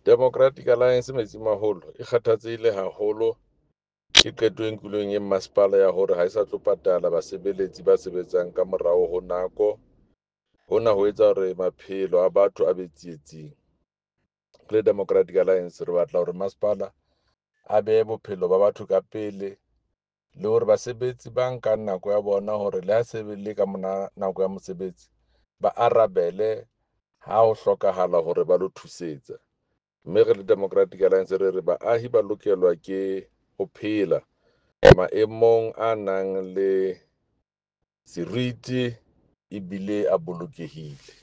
Democratic Alliance Metsimaholo e kgathatsehile haholo ke qeto e nkilweng e mmasepala ya hore ha e sa tlo patala basebeletsi ba sebetsang ka morao ho nako. Hona ho etsa hore maphelo a batho a be tsietsing. Re le Democratic Alliance re batla hore masepala a behe bophelo ba batho ka pele le hore basebetsi ba nkang nako ya bona hore le ha se le ka mona nako ya mosebetsi ba arabele ha ho hlokahala hore ba lo thusetsa. Mme re le Democratic Alliance re re baahi ba lokelwa ke ho phela maemong a nang le seriti ebile a bolokehile.